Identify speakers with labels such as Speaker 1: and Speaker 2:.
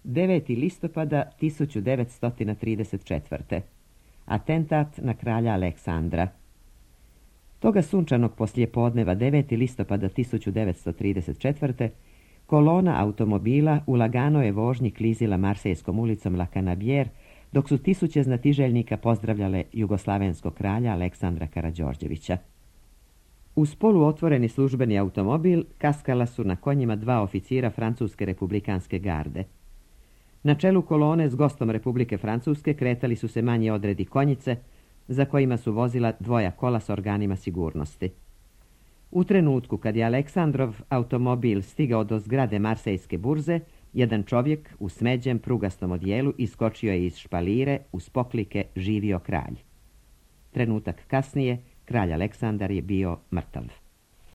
Speaker 1: 9. listopada 1934. Atentat na kralja Aleksandra. Toga sunčanog poslijepodneva 9. listopada 1934. kolona automobila u laganoj vožnji klizila Marsejskom ulicom La Canabière, dok su tisuće znatiželjnika pozdravljale jugoslavenskog kralja Aleksandra Karađorđevića. Uz poluotvoreni službeni automobil kaskala su na konjima 2 oficira Francuske republikanske garde. Na čelu kolone s gostom Republike Francuske kretali su se manji odredi konjice, za kojima su vozila 2 kola s organima sigurnosti. U trenutku kad je Aleksandrov automobil stigao do zgrade Marsejske burze, jedan čovjek u smeđem prugastom odijelu iskočio je iz špalire uz poklike "Živio kralj". Trenutak kasnije kralj Aleksandar je bio mrtav.